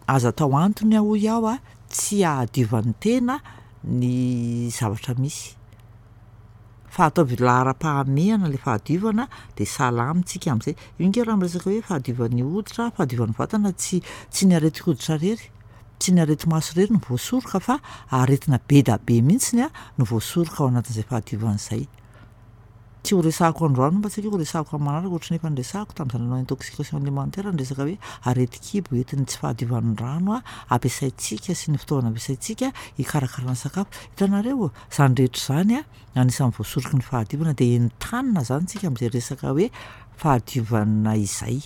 aza atao antony a hoy aho a tsy ahadiovan'ny tena ny zavatra misy fa ataovy laharam-pahamehana le fahadiovana de salama tsika am'zay. Io ange raha miresaka hoe fahadiovan'ny hoditra, fahadiovan'ny vatana tsy tsy ny aretin-koditra irery, tsy ny areti-maso irery no voasoroka fa aretina be da be mihitsiny a no voasoroka ao anatin'izay fahadiovana izay. Tsy ho resahako androany fa tsy haiko hoe ho resahako am'manaraka ohatran'ny efa noresahako tam'zaho nanao intoxication alimentaire ny resaka hoe aretin-kibo entin'ny tsy fahadiovan'ny rano a ampiasaintsika sy ny fitaovana ampiasaintsika hikarakarana sakafo. Hitanareo, zany rehetra zany a anisan'ny voasoroky ny fahadiovana de entanina zany tsika am'zay resaka hoe fahadiovana izay.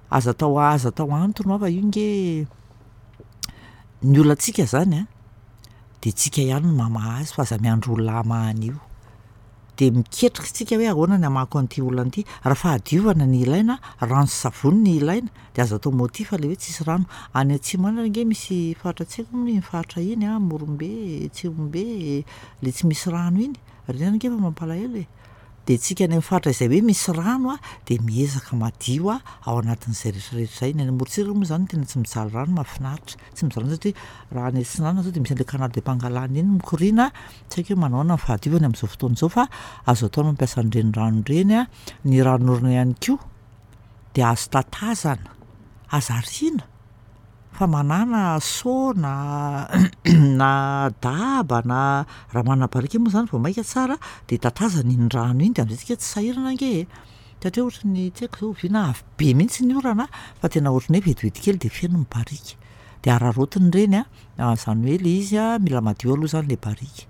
Aza atao aza atao antony hoa fa io nge ny olantsika zany a de tsika ihany no mamaha azy fa aza miandry olona hamaha an'io. De miketrika isika hoe ahoana ny hamahako an'ity olana ity, raha fahadiovana ny ilaina, rano sy savony ny ilaina de aza atao motif le hoe tsisy rano. Any atsimo any ange misy faritra tsy haiko moa iny faritra iny a, Morombe, Tsihombe, le tsy misy rano iny, reny ange efa mampalahelo e. De tsika any amin'ny faritra izay hoe misy rano a de miezaka madio a ao anatin'izay rehetrarehetra zay. Ny any amorontsiraka moa zany tena tsy mijaly rano mahafinaritra, tsy mijaly rano satria raha any atsinanana zao de misy an'le canal de Pangalane iny mikoriana, tsy haiko hoe manao ahoana ny fahadiovany am'zao fotoana izao fa azo atao ny mampiasa an'ireny rano ireny a. Ny ranonorana ihany koa de azo tatazana, aza ariana fa manàna seau na na daba na raha manana barika moa zany vao mainka tsara de tatazana iny rano iny de am'zay tsika tsy sahirana ange e, satria ohatry ny tsy haiko zao oviana avy be mihitsy ny orana fa tena ohatran'ny hoe vetivety kely de feno ny barika de araraotina ireny a, zany hoe le izy a mila madio aloha zany le barika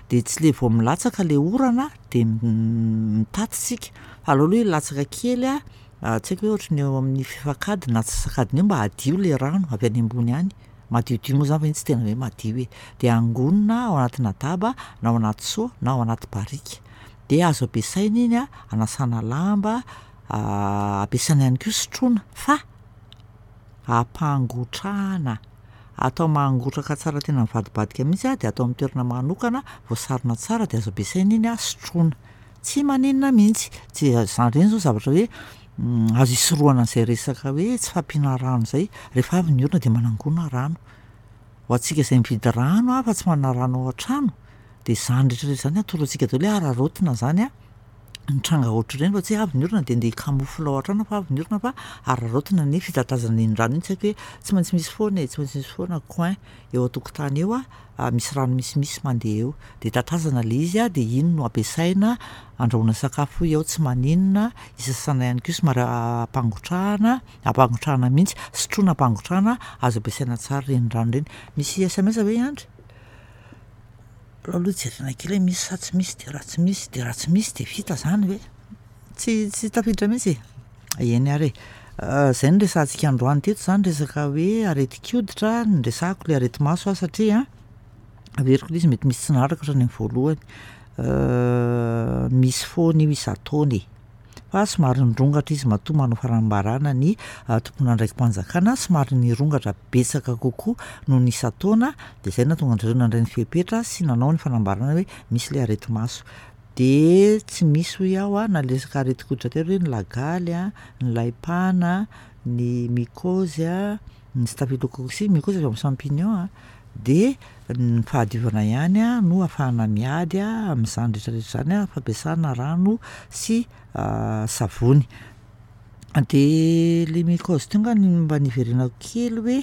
de tsy le vao milatsaka le orana de mitaty isika fa aleo aloha hilatsaka kely a tsy haiko hoe ohatry ny eo amin'ny fefak'adiny na antsasak'adiny eo mba hadio le rano avy any ambony any, madiodio moa zany fa iny tsy tena hoe madio e, de angonina ao anatinà daba na ao anaty seau na ao anaty barika de azo ampiasaina iny a anasana lamba, ampiasaina ihany koa sotroina fa ampangotrahana, atao mangotraka tsara tena mivadibadika mihitsy a de atao am'toerana manokana, voasarona tsara de azo ampiasaina iny a sotroina, tsy maninona mihitsy. Tsy zany ireny zao zavatra hoe azo isorohana an'zay resaka hoe tsy fahampiana rano zay, rehefa avy ny orana de manangona rano. Ho antsika izay mividy rano a fa tsy manana rano ao an-trano de zany rehetrarehetra zany atoro antsika daholo hoe araraotina zany a ny tranga ohatr'ireny fa tsy hoe avy ny orana de andeha hikamofla ao an-trano fa avy ny orana fa araraotina ny fitatazana iny rano iny, tsy haiko hoe tsy maintsy misy foana e, tsy maintsy misy foana coin eo an-tokotany eo a misy rano misimisy mandeha eo de tatazana le izy a de iny no ampiasaina andrahoana sakafo hoy aho tsy maninona, isasana ihany koa somary ampangotrahana, ampangotrahana mihitsy, sotroina ampangotrahana, azo ampiasaina tsara ireny rano ireny. Misy SMS ve i Andry? Alao aloha jerena kely hoe misy sa tsy misy de raha tsy misy de raha tsy misy de vita zany ve? Tsy tsy tafiditra mihitsy? Eny ary e. Zay no resahantsika androany teto zany resaka hoe aretin-koditra, noresahako le areti-maso aho satria averiko le izy mety misy tsy naharaka hatrany am'voalohany, misy foana io isan-taona e, fa somary nirongatra izy matoa manao fanambarana ny tompon'andraiki-panjakana somary nirongatra betsaka kokoa noho ny isan-taona de zay nahatonga an-dry zareo nandray ny fepetra sy nanao ny fanambarana hoe misy le areti-maso. De tsy misy hoy aho a na le resaka aretin-koditra teo hoe ny lagaly a, ny laim-pana, ny mycose a, ny staphylocoque, mycose avy am'champignon a, de ny fahadiovana ihany a no ahafahana miady a am'zany rehetrarehetra zany a, fampiasana rano sy savony. De le mycose teo nga no mba niverenako kely hoe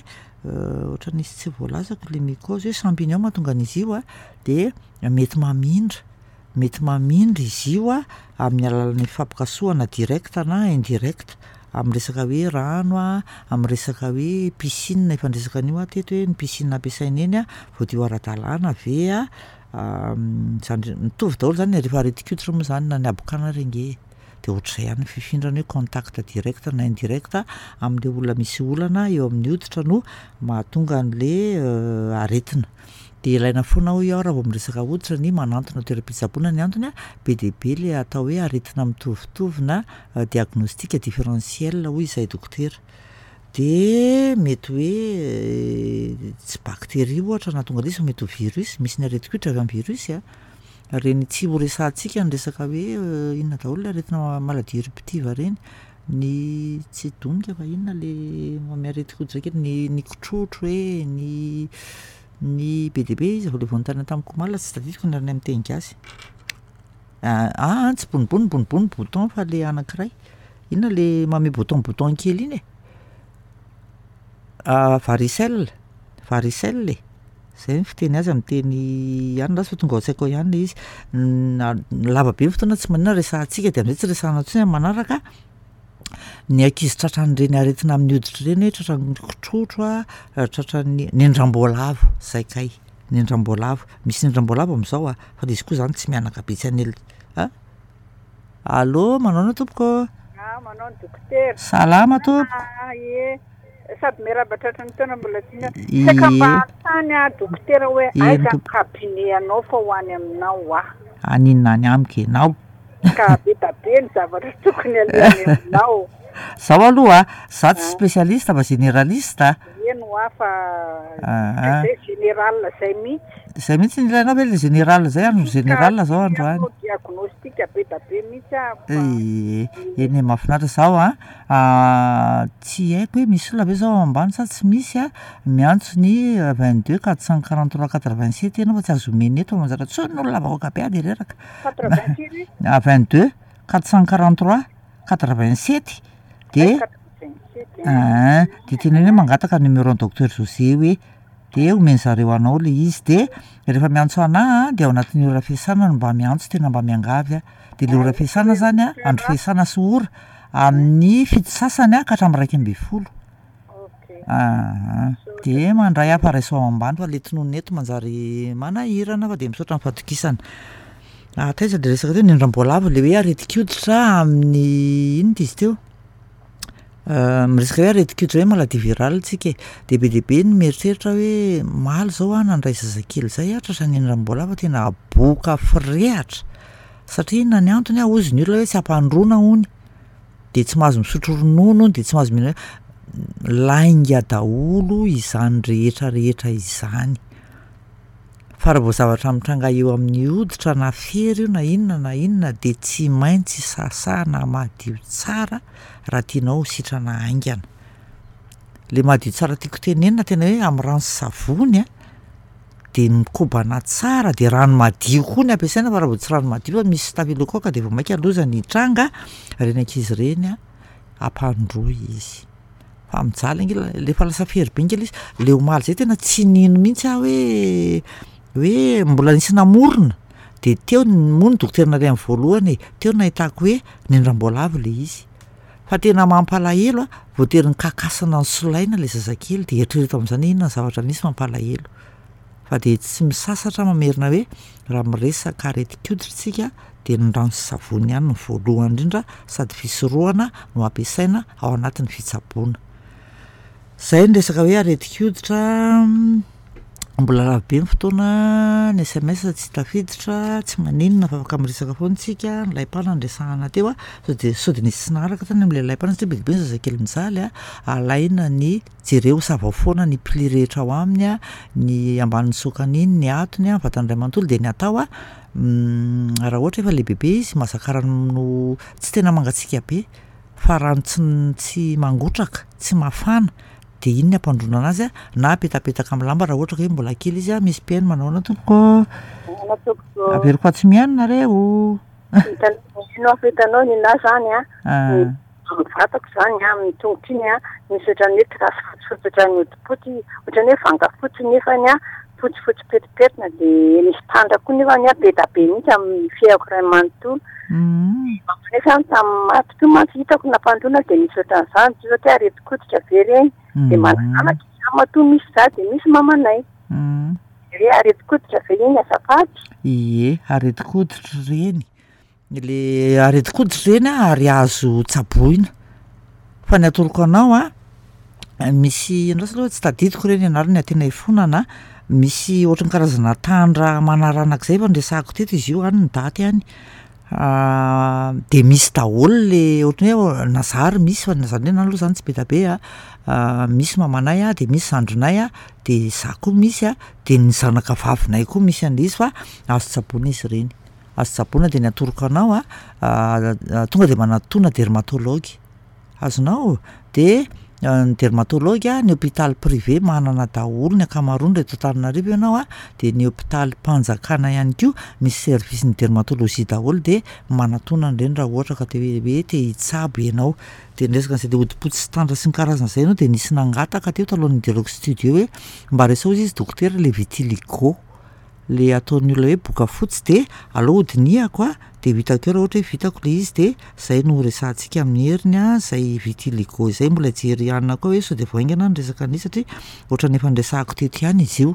ohatran'ny nisy tsy voalazako le mycose hoe champignon mahatonga an'izy io a de mety mamindra, mety mamindra izy io a amin'ny alalan'ny fifampikasohana directe na indirecte, Amin'ny resaka hoe rano a, amin'ny resaka hoe piscine, efa niresaka an'io aho teto hoe ny piscine ampiasaina eny a, voadio ara-dalàna ve a? Zany mitovy daholo zany rehefa aretin-koditra moa zany na ny habokana ary ange e, de ohatr'izay ihany ny fifindrany hoe contact direct na indirect am'le olona misy olana eo amin'ny hoditra no mahatonga an'le aretina. De ilaina foana hoy aho raha vao miresaka hoditra ny manantona toeram-pitsaboana ny antony a, be dia be le atao hoe aretina mitovitovy na diagnostic différentiel hoy izahay dokotera. De mety hoe tsy bakteria ohatra nahatonga an'izy fa mety ho virus, misy ny aretin-koditra avy am'virus a, reny tsy ho resahantsika ny resaka hoe inona daholo le aretina maladie éruptive reny, ny tsy donika fa inona le manome aretin-koditra kely, ny ny kitrotro e, ny ny be dia be izy vao le vao nanontaniana tamiko omaly tsy tadidiko ny anarany amin'ny teny gasy. Aa tsy bonibony, bonibony bouton fa le anankiray, inona le manome bouton bouton kely iny e? Varicelle, varicelle e, zay ny fiteny azy am'teny ihany lasa fa tonga ao an-tsaiko ao ihany le izy. Na- lava be ny fotoana tsy maninona resahantsika de am'zay tsy resahana intsony am'manaraka ny ankizy tratran'ireny aretina amin'ny hoditra ireny hoe tratran'ny kitrotro a, tratran'ny nendram-boalavo, zay kay, nendram-boalavo, misy nendram-boalavo am'zao a, fa le izy koa zany tsy mihanaka be tsy an'el- a allô, manao ahoana tompoko? Ah, manao ny dokotera. Salama tompoko. Ah, ie. Sady miarahaba tratry ny taona mbola tiana. Ie. Saika mba hanontany aho dokotera hoe Eny, aiza ny tompoko. cabinet anao fa ho any aminao aho. Aninona any amiko ianao? Ka be da be ny zavatra tokony alehany aminao. Zaho aloha a, za tsy spécialiste fa généraliste a. Eny ho aho fa Ah, zay général zay mihitsy. Zay mihitsy ny ilainao ve le général zay andro général zao androany? Ka diagnostic be da be mihitsy aho fa Ie, eny e, mahafinaritra zaho a, tsy haiko hoe misy olona ve zao ao ambany sa tsy misy a, miantso ny vingt deux quatre cent quarante trois quatre vingt sept ianao fa tsy azo omena eto fa manjary antsoin'ny olona vahoaka be aho de reraka. quatre vingt firy? Vingt deux quatre cent quarante trois quatre vingt sept de quatre vingt sept. Aa de teneno hoe mangataka numéro ny docteur José hoe de omeny zareo anao le izy de rehefa miantso anahy a de ao anatin'ny ora fiasana no mba miantso, tena mba miangavy aho de le ora fiasana zany a, andro fiasana sy ora amin'ny fito sasany a ka hatramin'ny iraika amby folo. Ok. Aa de mandray aho fa raiso ao ambany fa le tononina eto manjary manahirana fa de misaotra ny fahatokisana. Ah, taiza le resaka teo? Nendram-boalavo le hoe aretin-koditra amin'ny inona izy teo? Miresaka hoe aretin-koditra hoe maladie virale tsika e, de be dia be ny mieritreritra hoe omaly zao aho nandray zazakely zay a, tratran'ny nendram-boalavo tena boka firehatra satria inona ny antony a, hozy ny olona hoe tsy ampandroana hony, de tsy mahazo misotro ronono hony, de tsy mahazo mihina lainga daholo izany rehetra rehetra izany. Fa raha vao zavatra mitranga eo amin'ny hoditra na fery io na inona na inona de tsy maintsy sasana madio tsara raha tianao ho sitrana haingana. Le madio tsara tiako tenenina tena hoe amin'ny rano sy savony a, de mikobana tsara de rano madio koa ny ampiasaina fa raha vao tsy rano madio fa misy staphylocoque de vao mainka loza ny hitranga, reny ankizy ireny a ampandroy izy fa mijaly ange la- le efa lasa fery be nge le izy, le omaly zay tena tsy nino mihitsy aho hoe hoe mbola nisy namorona de teo n- moa ny dokotera nalehany voalohany e, teo no nahitako hoe nendram-boalavo le izy fa tena mampalahelo a, voatery nikakasana nosolaina le zazakely de eritrereto am'zany hoe inona ny zavatra misy mampalahelo fa de tsy misasatra mamerina hoe raha miresaka aretin-koditra tsika de ny rano sy savony ihany no voalohany indrindra sady fisorohana no ampiasaina ao anatin'ny fitsaboana. Zay ny resaka hoe aretin-koditra. Mbola lava be ny fotoana, ny SMS tsy tafiditra, tsy maninona fa afaka miresaka foana tsika, ny laim-pana no resahana teo a, sao de sao de nisy tsy naharaka tany am'le laim-pana satria be dia be ny zazakely mijaly a, alaina ny jereo savao foana ny pli rehetra ao aminy a, ny ambanin'ny sokany iny, ny atony a, vatany iray manontolo de ny atao a raha ohatra efa lehibebe izy mahazaka rano tsy tena mangatsiaka be fa rano tsy n- tsy mangotraka, tsy mafana de iny ny ampandroana anazy a na apetapetaka am'lamba raha ohatra ka hoe mbola kely izy a. Misy mpihaino, manao ahoana tompoko? Ahoana tompoko? Averiko fa tsy mihaino nareo. Hitanao ino aho hitanao ny anahy zany a. Ah. Amin'ny vatako zany a, amin'ny tongotro iny a, misy ohatran'ny hoe trasy fotsifotsy ohatran'ny hodipoty, ohatran'ny hoe vanga fotsy nefany a, Fotsifotsy petipetina dia nisy tandra koa nefa ny be da be mihitsy amin'ny fiaiko iray manontolo. Nefa tamin'ny maty koa mantsy hitako nampandroana dia nisy ohatran'izany, tsy hoe aretin-koditra ve ireny, dia manananaka izy matoa misy za dia misy mamanay. Hoe aretin-koditra ve iny azafady? Ie, aretin-koditra ireny. Le aretin-koditra ireny a ary azo tsaboina. Fa ny atoroko anao a, misy andraso aloha tsy tadidiko ireny anarany tena ifonana, misy ohatran'ny karazana tandra manaranaka izay efa noresahako teto izy io any ny daty any. De misy daholo le ohatran'ny hoe na za ary misy fa na zany hoe na aloha zany tsy be da be a, misy mamanay a, de misy zandrinay a, de za koa misy a, de ny zanaka vavinay koa misy an'le izy fa azo tsaboina izy ireny, azo tsaboina de ny atoroko anao a, tonga de manatona dermatologue, azonao? De ny dermatologue a, ny hôpital privé manana daholo ny ankamaroany raha eto Antananarivo ianao a, de ny hôpitalim-panjakana ihany koa misy service ny dermatologie daholo de manatona an'ireny raha ohatra ka te hoe te hitsabo ianao. De ny resaka an'izay le hodi-potsy sy tandra sy ny karazan'izay aloha de nisy nangataka teo talohan'ny nidirako studio hoe mba resaho izy dokotera le vitiligo, le ataon'ny olona hoe boka fotsy de aleo hodinihako a, de ho hitako eo raha ohatra hoe vitako le izy de zay no resahantsika amin'ny heriny a, zay vitiligo zay mbola hijery hanina koa hoe sao de vao haingana ny resaka an'izy satria ohatran'ny efa noresahako teto ihany izy io.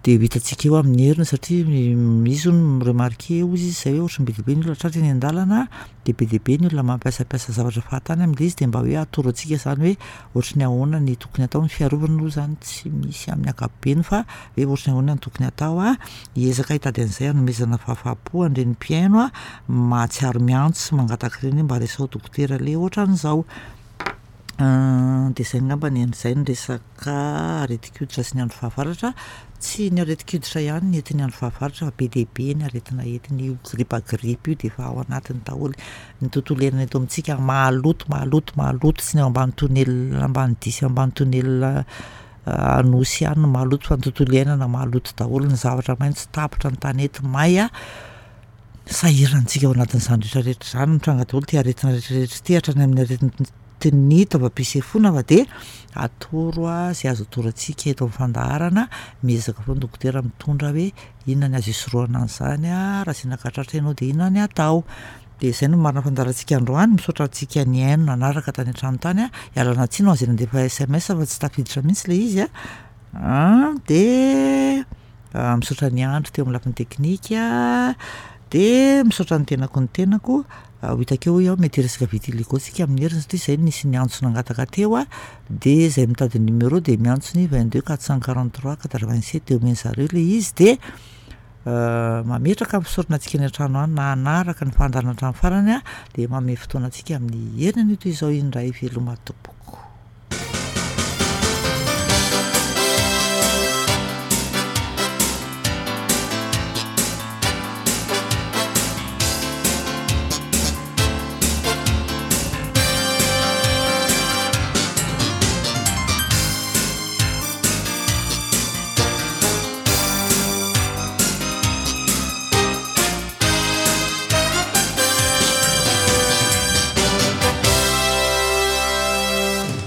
De ho hitantsika eo amin'ny heriny satria izy hono mi-remarquer hozy izy zay hoe ohatran'ny be dia be ny olona tratra eny an-dàlana de be dia be ny olona mampiasampiasa zavatra fahatany am'le izy de mba hoe atoro antsika zany hoe ohatry ny ahoana ny tokony atao, ny fiarovana aloha zany tsy misy amin'ny ankapobeny fa hoe ohatry ny ahoana ny tokony atao a, hiezaka hitady an'izay hanomezana fahafaham-po an'ireny mpihaino a mahatsiaro miantso sy mangataka ireny hoe mba resaho dokotera le ohatran'izao. De zay angambany an'izay ny resaka aretin-koditra sy ny andro fahavaratra, tsy ny aretin-koditra ihany ny entin'ny andro fahavaratra fa be dia be ny aretina entiny, io gripa gripa io de efa ao anatiny daholo, ny tontolo iainana eto amintsika maloto maloto maloto, tsy ny ao ambany tonelina Ambanidia sy ambany tonelina Anosy ihany no maloto fa ny tontolo iainana maloto daholo, ny zavatra maitso tapitra, ny tanety may a, sahirantsika ao anatin'izany rehetrarehetra zany, mitranga daholo ty aretina rehetrarehetra ity hatrany amin'ny aretin'ny taovam-pisefoana fa de atoro a zay azo atoro antsika eto amin'ny fandaharana, miezaka foana dokotera mitondra hoe inona ny azo isorohana an'izany a, raha sendra ka tratra ianao de inona ny atao. De zay no marina fandaharantsika androany, misaotra antsika nihaino nanaraka tany an-trano tany a, ialana tsiny ho an'izay nandefa S M S fa tsy tafiditra mihitsy le izy a, de misaotra ny Andry teo amin'ny lafiny teknika, de misaotra ny tenako ny tenako, ho hitako eo hoy aho mety hiresaka vitiligo tsika amin'ny heriny satria zay nisy niantso nangataka teo a, de zay mitady numéro de miantso ny vingt deux quatre cent quarante trois quatre vingt sept de omeny zareo le izy de mametraka fisaorana antsika any an-trano any nanaraka ny fandaharana hatramin'ny farany a, de manome fotoana antsika amin'ny heriny anio toy izao indray, veloma tompoko.